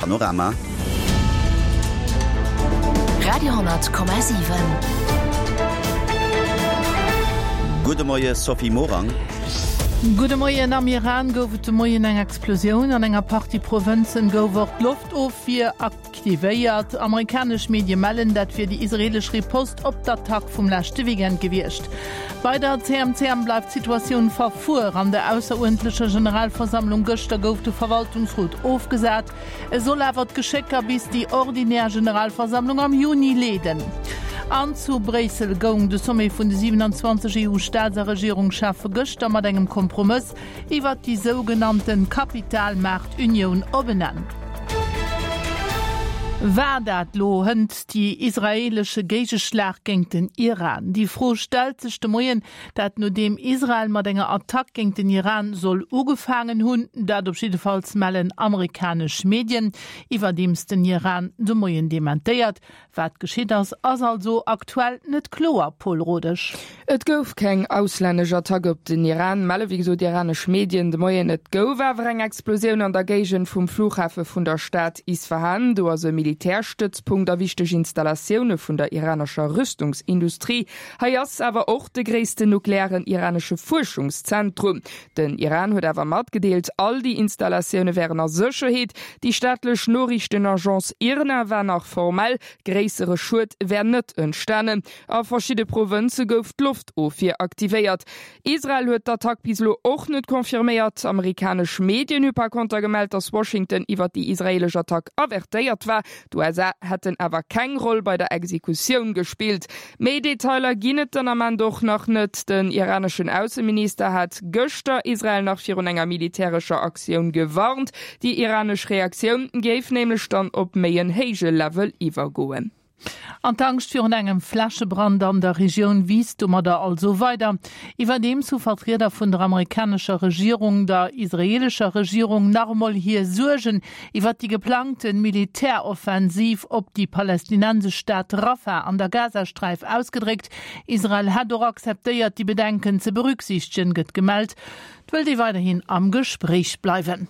Panorama. Radio,7. Gudde Moie Sophie Morang. Gudde Moien. Am Iran gouf et de Moien eng Explosioun. An enger Partie Provënzen gouf och d'Loftofwier aktivéiert. Amerikanesch Medie mellen, dat wier déi israeelesch Riposte op d'Attack vum leschte Weekend gewiescht. Bei der CMCM bleift d'Situatioun verfuer. An der ausseruerdentlecher Generalversammlung gëschter gouf de Verwaltungsrot ofgesat. E soll awer d'Geschécker bis déi ordinär Generalversammlung am Juni leeden. An zu Bréissel goung de Sommet vun de 27 EU-Staats a Regierungscheffe gëschter mat engem Kompromëss iwwert déi sougenannte Kapitalmaartunioun op en Enn. War dat lo hënt déi israeelesche Géigeschlag géint den Iran? Déi Fro stellt sech de Moien, dat nodeem Israel mat enger Attack géint den Iran soll ugefaangen hunn. Dat op jiddefalls mellen amerikanesch Medien, iwwerdeems den Iran de Moien dementéiert. Wat geschitt ass, ass also aktuell net kloer, Pol Rodesch. Et gouf keng auslännesch Attack op den Iran, melle wéi gesot iranesch Medien de Moien. Et gouf awer eng Explosioun an der Géigend vum Flughafe vun der Stad Isfahan. Do ass e Militärstëtzpunkt a wichteg Installatioune vun der iranescher Rüstungsindustrie. Hei ass awer och de gréissten nuklearen iranesche Fuerschungszentrum. Den Iran huet awer matgedeelt, all déi Installatioune wären a Sécherheet. Déi staatlech Noriichtenagence IRNA war nach formell, gréissere Schued wär net entstanen. A verschidde Provënze gouf d'Loftofwier aktivéiert. Israel huet d'Attack bis elo och net confirméiert. Amerikanesch Medien hu par konter gemellt, datt Washington iwwer déi israeelesch Attack avertéiert war. D'USA hätten awer keng Roll bei der Exekutioun gespillt. Méi Detailer ginn et den Ament och nach net. Den iraneschen Ausseminister hat gëschter Israel nach virun enger militärescher Aktioun gewarnt. Déi iranesch Reaktioun géif nämlech dann op méi en héije Level iwwergoen. An d'Angscht virun engem Flächebrand an der Regioun wiisst domadder also weider. Iwwerdeems hu Vertrieder vun der amerikanescher Regierung der israeelescher Regierung nach emol hir Suergen iwwert déi geplangte Militäroffensiv op déi palästinensesch Stad Rafah an der Gazasträif ausgedréckt. Israel hätt och akzeptéiert, déi Bedenken ze berücksichtegen, gëtt gemellt. Et wëllt ee weiderhin am Gespréich bleiwen.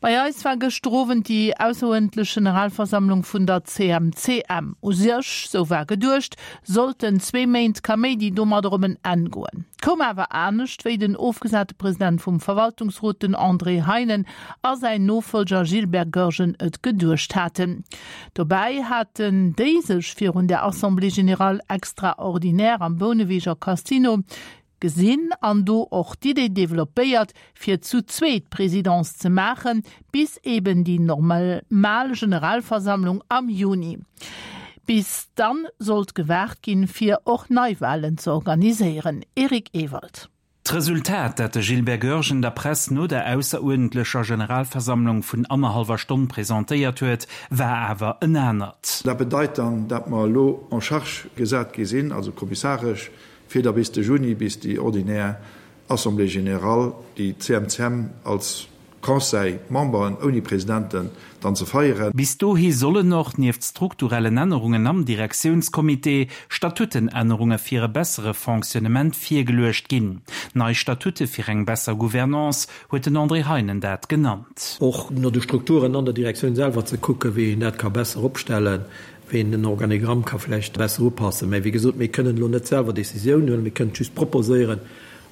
Bei eis war gëschter Owend déi ausseruerdentlech Generalversammlung vun der CMCM. U sech, sou war geduecht, sollten zwee Méint Kaméidi domadder op en Enn goen. Koum awer anescht, wéi den ofgesate President vum Verwaltungsrot, den André Heinen, a säin Nofollger Gilbert Goergen et geduecht haten. Dobäi haten déi sech virun der Assemblée générale extraordinaire am Bouneweger Casino gesinn an do och d'Idee developpéiert, fir zu zweet d'Presidence ze maachen, bis eben déi normal Generalversammlung am Juni. Bis dann sollt gewaart ginn, fir och Neiwahlen ze organiséieren. Eric Ewald. D'Resultat, dat de Gilbert Goergen der Press no der ausseruerdentlecher Generalversammlung vun annerhallwer Stonn presentéiert huet, war awer en anert. Dat bedeit dann, dat mer elo en charge gesat gi sinn, also kommissaresch, fir da bis de Juni, bis déi ordinär Assemblée générale, déi CMCM als Conseil, Memberen ouni Presidenten, dann ze feieren. Bis dohi sollen och, nieft strukturellen Ännerungen am Direktiounscomité, Statutenännerunge fir e bessere Fonctionnement virgeluecht ginn. Nei Statute fir eng besser Gouvernance, huet den André Heinen dat genannt. Och no de Strukturen an der Direktioun selwer ze kucken, wéi een dat ka besser opstellen, wéi een den Organigramm ka vläicht besser upassen. Mä wéi gesot, mir kënnen elo net selwer Décisioun huelen, mir kënnen et just proposéieren.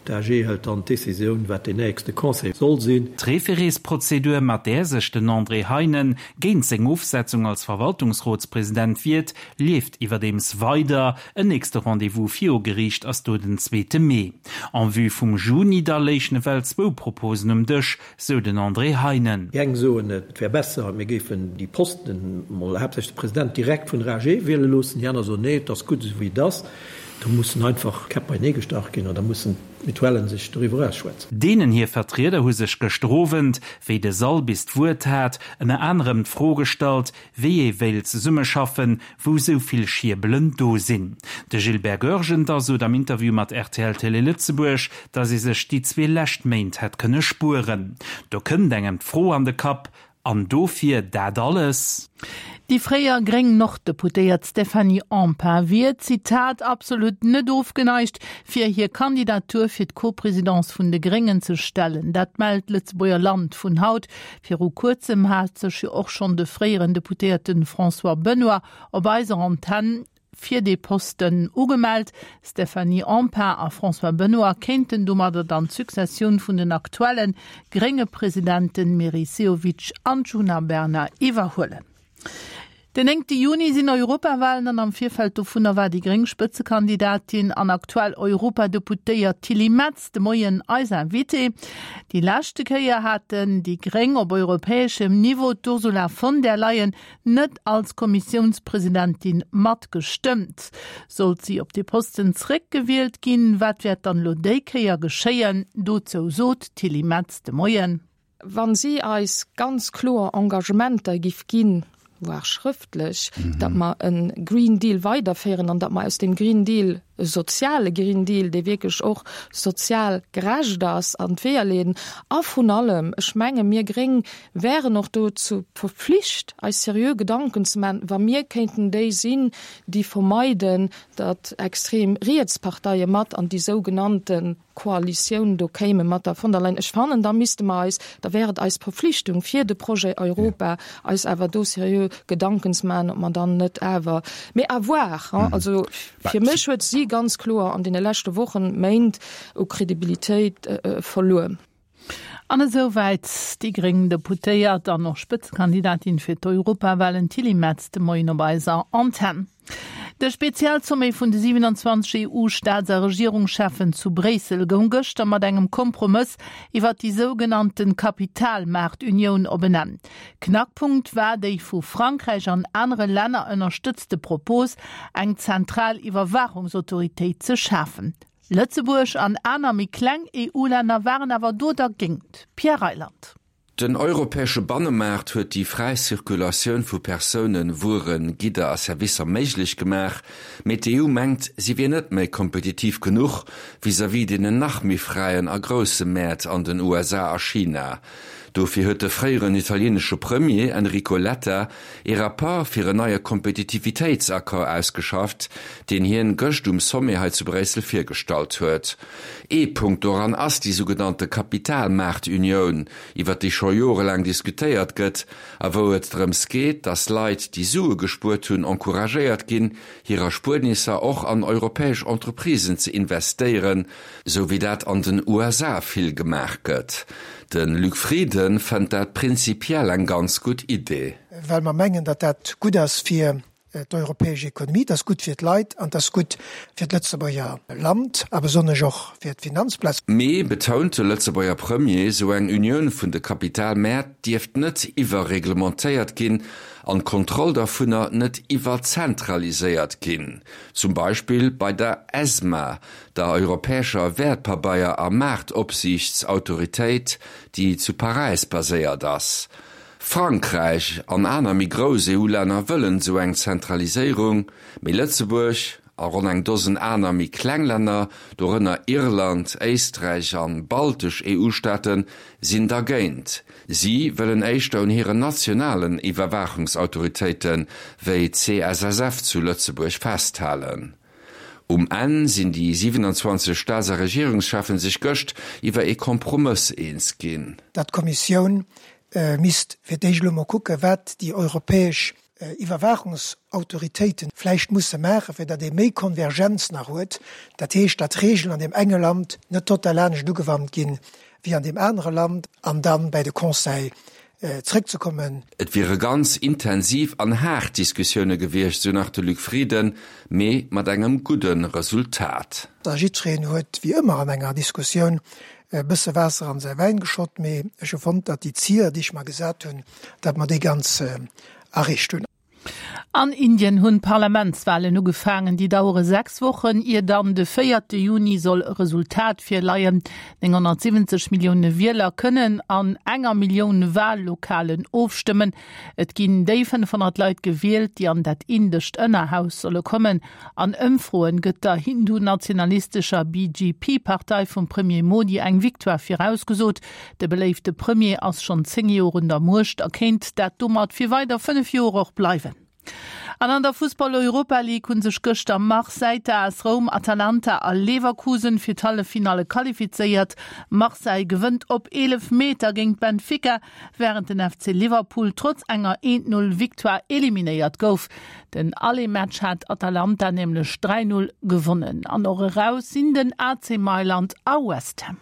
D'AG hëlt dann d'Décisioun, wat deen nächste Conseil soll sinn. D'Référésprozedur, mat där sech den André Heinen géint seng Ofsetzung als Verwaltungsrotspresident wiert, leeft iwwerdeems weider. En nächste Rendez-vous viru Geriicht ass do den zweete Mee. En vue vum Juni da léichen ewell zwou Proposen um Dësch, sou den André Heinen. Déi eng soen, et wär besser, mir géifen déi Posten, mol haaptsächlech de President, direkt vun der AG wiele loossen. Déi aner soen, nee, et ass gutt esou wéi et ass. Do mussen einfach Käpp beienee gestach ginn an da mussen d'Mutuellen sech doriwwer ausschwätzen. Deenen hir Vertrieder hu sech gëschter Owend, wéi de Sall bis d'Wuert hat, ënner anerem d'Fro gestallt, wéi ee wéilt zesummeschaffen, wou sou vill Schierbelen do sinn. De Gilbert Goergen da sot am Interview mat rtl Télé Lëtzebuerg, datt ee sech déi zwee lescht Méint hätt kënne spueren. Do kënnt engem d'Fro an de Kapp, An dofir dat alles? Déi fréier gréng Norddeputéiert Stéphanie Empain wier, Zitat, absolut net ofgeneigt, fir hir Kandidatur fir d'Co-Présidence vun de Gréngen ze stellen. Dat mellt d'Lëtzebuerger Land vun haut. Viru kuerzem hat sech jo och schonn de fréieren Deputéierte François Benoy op eiser Antenn fir dee Posten ugemellt. Stéphanie Empain a François Benoy kéinten domadder dann d'Successioun vun den aktuelle grénge Presidenten Meris Sehovic an Djuna Bernard iwwerhuelen. Den néngte Juni sinn Europawalen an am Virfeld dovunner war déi gréng Spëtzekandidatin an aktuell Europadeputéiert Tilly Metz de Moien eis Invitée. Déi leschte Kéier haten déi gréng op europäeschem Niveau d'Ursula von der Leyen net als Kommissiounspresidentin matgestëmmt. Sollt si op dee Posten zréckgewielt ginn, wat wäert dann elo déi Kéier geschéien? Dozou sot d'Tilly Metz de Moien. Wa si eis ganz kloer Engagementer giff ginn, voire schrëftlech, datt mer e Green Deal weiderféieren an datt mer aus deem Green Deal e soziale Green Deal, dee wierklech och sozial gerecht ass, an d'Weeër leeden. A vrun allem, ech menge mir Gréng wären och dozou verpflicht, eis seriö Gedanken ze maachen, wa mir kéinten déi sinn, déi vermeiden, datt extrem riets Parteie mat an déi sougenannte Koalitioun do kéime mat der von der Leyen. Ech fannen, da misste mer eis, da wär et eis Verpflichtung fir de Projet Europa, eis awer do seriö Gedanken ze maachen, ob mer dann net awer, mee à voir, hein. Also fir mech huet si ganz kloer an deene leschte Wochen, Méint u Kredibilitéit verluer. An esou wäit déi gréng Deputéiert an och Spëtzekandidatin fir d'Europawahlen Tilly Metz de Moien op eiser Antenn. De Spezialsommet vun de 27 EU-Staats a Regierungscheffen zu Bréissel goung gëschter mat engem Kompromëss iwwer déi sougenannte Kapitalmaartunioun op en Enn. Knackpunkt war déi vu Frankräich an anere Länner ënnerstëtzte Propos, eng zentral Iwwerwaachungsautoritéit ze schafen. Lëtzebuerg an aner méi kleng EU-Länner waren awer do dergéint. Pierre Reyland. Den europäesche Bannemaart huet déi fräi Circulatioun vu Persounen, Wueren, Gidder a Servicer méiglech gemaach, mee d'EU mengt, si wier net méi kompetitiv genuch vis-à-vis deenen nach méi fräien a grousse Mäert an den USA a China. Dofir huet de fréieren italienesche Premier Enrico Letta ee Rapport fir en neie Kompetitivitéitsaccord ausgeschafft, deen hien gëscht um Sommet hei zu Bréissel virgestallt huet. Ee Punkt doran ass déi sougenannte Kapitalmaartunioun, iwwer déi scho jorelaang diskutéiert gëtt a wou et drëms geet, datt Leit, déi Sue gespuert hunn, encouragéiert ginn, hir Erspuernisser och an europäesch Entreprisen ze investéieren, sou wéi dat an den USA vill gemaach gëtt. De Luc Frieden fënnt dat prinzipiell eng ganz gutt Idee. Well mer mengen, datt dat gutt ass fir d'europäesch Ekonomie, et ass gutt fir d'Leit an et ass gutt fir d'Lëtzebuerger Land a besonnesch och fir d'Finanzplaz. Mee, betount de Lëtzebuerger Premier, sou eng Unioun vun de Kapitalmäert dierft net iwwerreglementéiert ginn an d'Kontroll dervunner net iwwerzentraliséiert ginn, zum Beispill bei der ESMA, der europäescher Wäertpabeier a Maartopsiichtsautoritéit, déi zu Paräis baséiert ass. Frankräich an aner méi grouss EU-Länner wëllen esou eng Zentraliséierung, mee Lëtzebuerg a ronn eng Dosen aner méi kleng Länner, dorënner Irland, Éisträich an baltesch EU-Staaten, sinn dergéint. Si wëllen éischter un hiren nationalen Iwwerwaachungsautoritéite wéi d'CSSF zu Lëtzebuerg festhalen. Um Enn sinn déi 27 Staats a Regierungscheffen sech gëscht iwwer ee Kompromëss eens ginn. Datt d'Kommissioun misst fir d'éischt elo mol kucken, wat déi europäesch Iwwerwaachungsautoritéite vläicht musse maachen, fir datt ee méi Konvergenz nach huet, dat heescht, datt Regeln an deem enge Land net total anescht ugewannt ginn wéi an deem anere Land, an da bäi de Conseil zréckzekommen. Et wiere ganz intensiv an haart Diskussioune gewiescht, sou nach de Luc Frieden, mee mat engem gudde Resultat. A jiddwereen huet, wéi ëmmer an enger Diskussioun, e bësse Waasser an säi Wäin geschott, mee ech hu fonnt, datt déi Ziler, déi ech mer gesat hunn, datt mer déi ganz erreecht hunn. An Indien hunn d'Parlamentswalen ugefaangen. Déi dauere 6 Wochen, ier dann de véierte Juni soll e Resultat virleien. 970 Millioune Wieler kënnen an enger Millioun Wahllokalen ofstëmmen. Et ginn déi 500 Leit gewielt, déi an dat indescht Ënnerhaus solle kommen. An Ëmfroen gëtt der hindu-nationalistescher BJP-Partei vum Premier Modi eng Victoire virausgesot. De beléifte Premier ass schonn 10 Joer un der Muecht a kéint dat domat fir weider 5 Joer och bleiwen. An an der Fussball-Europa League hu sech gëschter Marseille, d'AS Roum, Atalanta a Leverkusen fir d'Halleffinalle qualifizéiert. Marseille gewënnt op Eelefmeter géint Benfica, wärend den FC Liverpool trotz enger 1-0 Victoire eliminéiert gouf. Den Aller-Match hat Atalanta nämlech 3, 0 gewonnen. An och eraus sinn den AC Mailand a West Ham.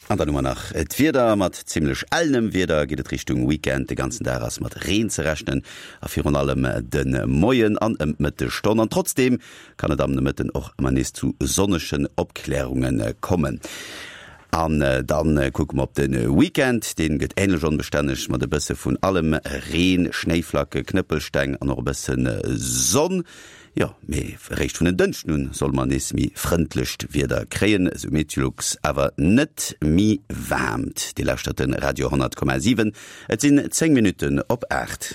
An dann hu mer nach d'Wieder. Mat zimmlech ellenem Wieder geet et Richtung Weekend. De ganzen Dag ass mat Reen ze rechnen a virun allem de Moien an ëm d'Mëttegstonn. An trotzdeem kann et am Nomëtten och ëmmer nees zu sonnegen Opklärunge kommen. An dann kucke mer op de Weekend, deen gëtt änlech onbestänneg mat e bësse vun allem, Reen, Schnéiflacke, Knëppelsteng an och e bësse Sonn. Jo, mee eréischt vun en Dënschden un solle mer nees méi frëndlecht Wieder kréien, esou Meteolux, awer net méi waarmt. Dir lauschtert de Radio 10,7, et sinn 10 Minutten op 8.